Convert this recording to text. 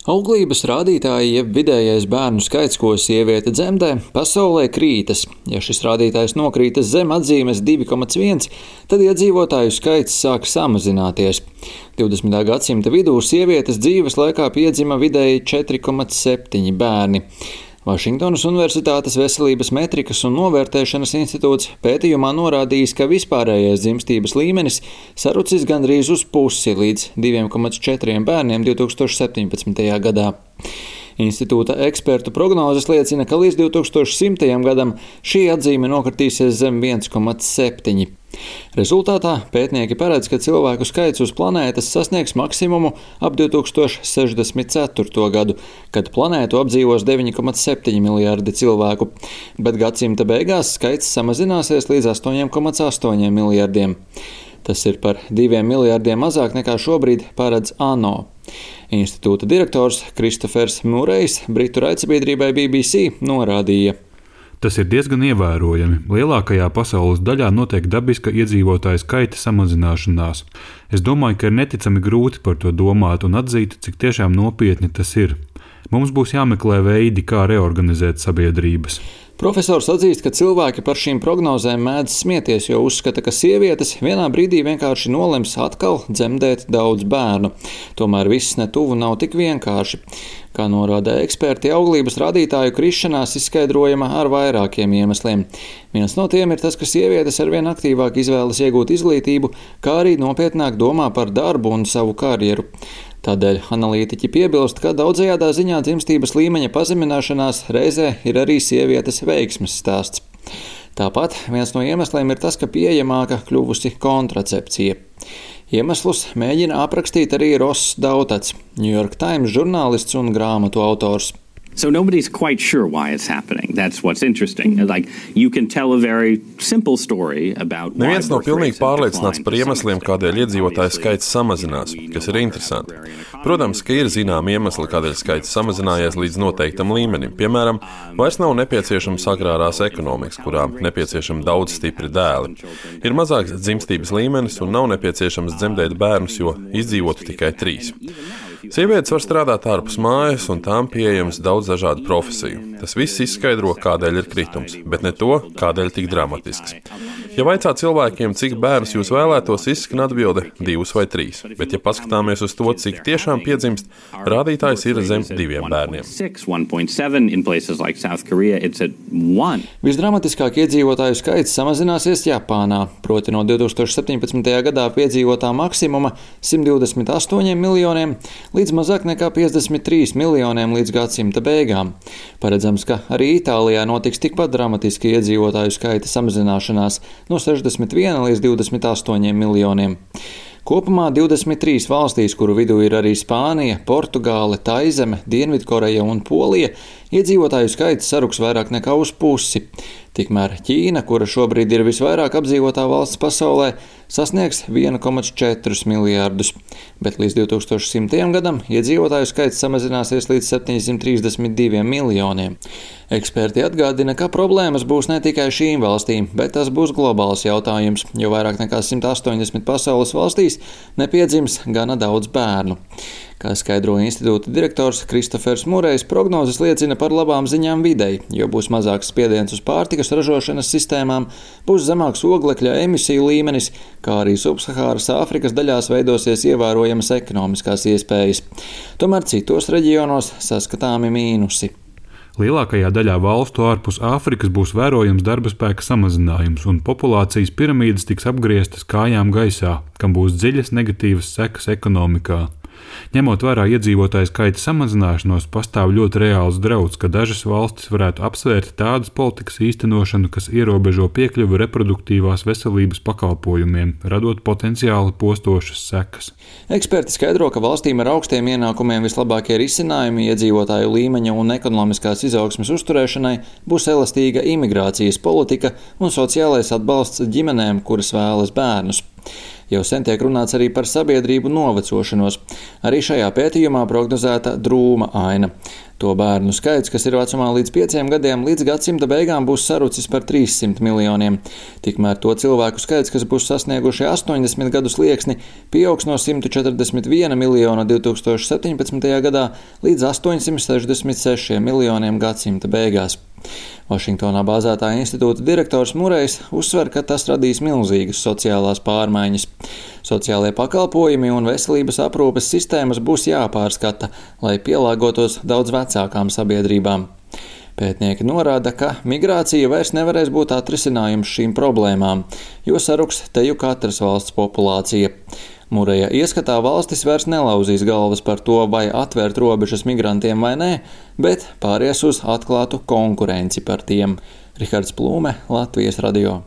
Auglības rādītāji, jeb vidējais bērnu skaits, ko sieviete dzemdē, pasaulē krītas. Ja šis rādītājs nokrītas zem atzīmes 2,1, tad iedzīvotāju skaits sāk samazināties. 20. gadsimta vidū sievietes dzīves laikā piedzima vidēji 4,7 bērni. Vašingtonas Universitātes veselības metrikas un novērtēšanas institūts pētījumā norādījis, ka vispārējais dzimstības līmenis sarucis gandrīz uz pusi līdz 2,4 bērniem 2017. gadā. Institūta ekspertu prognozes liecina, ka līdz 2100. gadam šī atzīme nokritīsies zem 1,7. Rezultātā pētnieki paredz, ka cilvēku skaits uz planētas sasniegs maksimumu ap 2064. gadu, kad planētu apdzīvos 9,7 miljārdi cilvēku, bet gadsimta beigās skaits samazināsies līdz 8,8 miljārdiem. Tas ir par 2 miljārdiem mazāk nekā šobrīd paredz ANO. Institūta direktors Kristofers Murejs Britu raidsabiedrībai BBC norādīja: Tas ir diezgan ievērojami. Lielākajā pasaules daļā notiek dabiska iedzīvotāju skaita samazināšanās. Es domāju, ka ir neticami grūti par to domāt un atzīt, cik tiešām nopietni tas ir. Mums būs jāmeklē veidi, kā reorganizēt sabiedrības. Profesors atzīst, ka cilvēki par šīm prognozēm mēdz smieties, jo uzskata, ka sievietes vienā brīdī vienkārši nolems atkal dzemdēt daudz bērnu. Tomēr viss netuvu nav tik vienkārši. Kā norāda eksperti, auglības rādītāju krišanās izskaidrojama ar vairākiem iemesliem. Viens no tiem ir tas, ka sievietes arvien aktīvāk izvēlas iegūt izglītību, kā arī nopietnāk domā par darbu un savu karjeru. Tādēļ analītiķi piebilst, ka daudzajādā ziņā dzimstības līmeņa pazemināšanās reizē ir arī sievietes veiksmes stāsts. Tāpat viens no iemesliem ir tas, ka pieejamāka kļuvusi kontracepcija. Iemeslus mēģina aprakstīt arī Ross Dautats, New York Times žurnālists un grāmatu autors. So nobody's quite sure why it's happening. That's what's interesting. Like, you can tell a very simple story about why. Neviens nav pilnīgi pārliecināts par iemesliem, kādēļ iedzīvotāju skaits samazinās, kas ir interesanti. Protams, ka ir zināmi iemesli, kādēļ skaits samazinājies līdz noteiktam līmenim. Piemēram, vairs nav nepieciešams agrārās ekonomikas, kurām nepieciešami daudz stipri dēli. Ir mazāks dzimstības līmenis un nav nepieciešams dzemdēt bērnus, jo izdzīvotu tikai 3. Sievietes var strādāt ārpus mājas, un tām pieejams daudz dažādu profesiju. Tas viss izskaidro, kādēļ ir kritums, bet ne to, kādēļ tik dramatisks. Ja vaicā cilvēkiem, cik bērnus jūs vēlētos, izskan atbilde 2 vai 3, bet ja paskatāmies uz to, cik tiešām piedzimst, rādītājs ir zem 2 bērniem. Visdramatiskāk iedzīvotāju skaits samazināsies Japānā, proti no 2017. gadā piedzīvotā maksimuma 128 miljoniem līdz mazāk nekā 53 miljoniem līdz gadsimta beigām. Paredzams, ka arī Itālijā notiks tikpat dramatiski iedzīvotāju skaita samazināšanās no 61 līdz 28 miljoniem. Kopumā 23 valstīs, kuru vidū ir arī Spānija, Portugāle, Taizeme, Dienvidkoreja un Polija, iedzīvotāju skaits saruks vairāk nekā uz pusi. Tikmēr Ķīna, kura šobrīd ir visvairāk apdzīvotā valsts pasaulē, sasniegs 1,4 miljārdus, bet līdz 2100. gadam iedzīvotāju skaits samazināsies līdz 732 miljoniem. Eksperti atgādina, ka problēmas būs ne tikai šīm valstīm, bet tas būs globāls jautājums, jo vairāk nekā 180 pasaules valstīs nepiedzims gana daudz bērnu. Kā skaidro institūta direktors Kristofers Murejs, prognozes liecina par labām ziņām videi, jo būs mazāks spiediens uz pārtikas ražošanas sistēmām, būs zemāks oglekļa emisiju līmenis, kā arī subsahāras Āfrikas daļās veidosies ievērojamas ekonomiskās iespējas. Tomēr citos reģionos saskatāmi mīnusi. Lielākajā daļā valstu ārpus Āfrikas būs vērojams darba spēka samazinājums, un populācijas piramīdas tiks apgrieztas kājām gaisā, kam būs dziļas negatīvas sekas ekonomikā. Ņemot vērā iedzīvotāju skaita samazināšanos, pastāv ļoti reāls drauds, ka dažas valstis varētu apsvērt tādas politikas īstenošanu, kas ierobežo piekļuvi reproduktīvās veselības pakalpojumiem, radot potenciāli postošas sekas. Eksperti skaidro, ka valstīm ar augstiem ienākumiem vislabākie risinājumi iedzīvotāju līmeņa un ekonomiskās izaugsmes uzturēšanai būs elastīga imigrācijas politika un sociālais atbalsts ģimenēm, kuras vēlas bērnus. Jau sen tiek runāts arī par sabiedrību novecošanos. Arī šajā pētījumā prognozēta drūma aina. To bērnu skaits, kas ir vecumā līdz 5 gadiem, līdz gadsimta beigām būs sarucis par 300 miljoniem. Tikmēr to cilvēku skaits, kas būs sasnieguši 80 gadu slieksni, pieaugs no 141 miljona 2017. gadā līdz 866 miljoniem gadsimta beigās. Vašingtonā bāzētā institūta direktors Murejs uzsver, ka tas radīs milzīgas sociālās pārmaiņas. Sociālie pakalpojumi un veselības aprūpes sistēmas būs jāpārskata, lai pielāgotos daudz vecākām sabiedrībām. Pētnieki norāda, ka migrācija vairs nevarēs būt atrisinājums šīm problēmām, jo saruks teju katras valsts populācija. Mureja ieskatā valstis vairs nelauzīs galvas par to, vai atvērt robežas migrantiem vai nē, bet pāries uz atklātu konkurenci par tiem. Rihards Plūme, Latvijas radio.